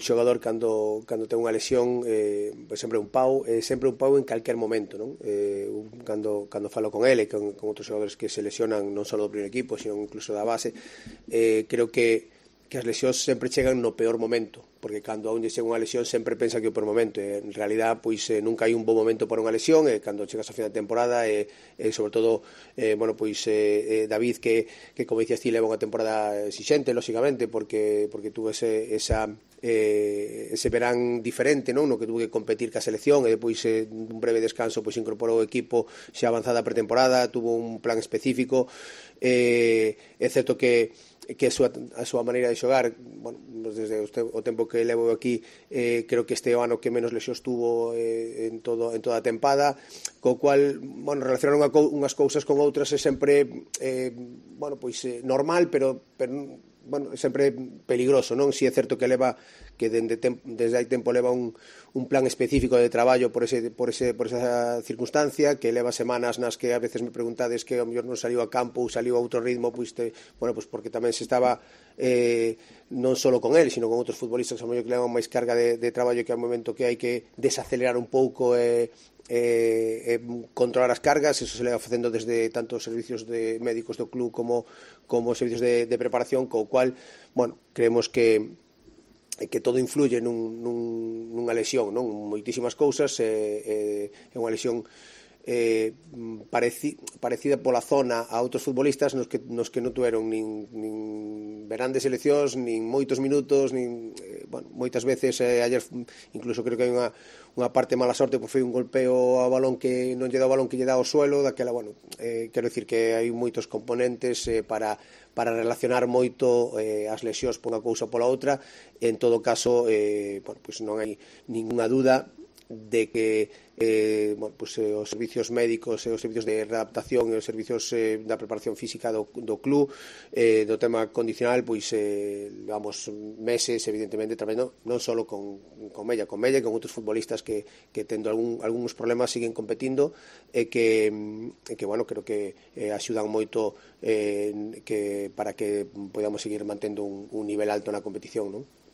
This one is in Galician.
xogador cando ten unha lesión sempre un pau en calquer momento, non? Cando falo con ele, con outros xogadores que se lesionan non só do primeiro equipo, sino incluso da base, creo que as lesións sempre chegan no peor momento, porque cando a un lle chega unha lesión sempre pensa que é o peor momento, en realidad pois nunca hai un bom momento para unha lesión, cando chegas ao final de temporada, sobre todo David que como dicías ti leva unha temporada exixente, lógicamente, porque tuvo ese verán diferente, non? No que tuvo que competir ca selección e depois un breve descanso pois incorporou o equipo xa avanzada a pretemporada, tuvo un plan específico, é certo que a súa maneira de xogar, bueno, desde o tempo que levo aquí, creo que este ano que menos lesións tuvo en toda a tempada, co cual, bueno, relacionar unhas cousas con outras é sempre normal, pero bueno, sempre peligroso, non? Si é certo que leva que desde hai tempo leva un plan específico de traballo por esa circunstancia, que leva semanas nas que a veces me preguntades que ao mellor non saliu a campo ou saliu a outro ritmo, pois porque tamén se estaba non só con el, sino con outros futbolistas que ao mellor que levan máis carga de traballo, que ao momento que hai que desacelerar un pouco controlar as cargas. Eso se leva facendo desde tanto os servicios de médicos do club como os servicios de preparación, co cual, bueno, creemos que todo influye nunha lesión, non? Moitísimas cousas, é unha lesión parecida pola zona a outros futbolistas nos que non tuveron nin verán de seleccións, nin moitos minutos, moitas veces ayer incluso creo que hai unha parte mala sorte, pois foi un golpeo ao balón que non lle dá o balón que lle dá ao suelo, daquela, bueno, quero dicir que hai moitos componentes para relacionar moito as lesións por unha cousa ou pola outra. En todo caso, pois non hai ningunha dúda de que os servicios médicos e os servicios de readaptación e os servicios da preparación física do club, do tema condicional, pois levamos meses evidentemente traballando non só con Mella e con outros futbolistas que tendo algúns problemas siguen competindo e que bueno, creo que axudan moito para que podamos seguir mantendo un nivel alto na competición, non?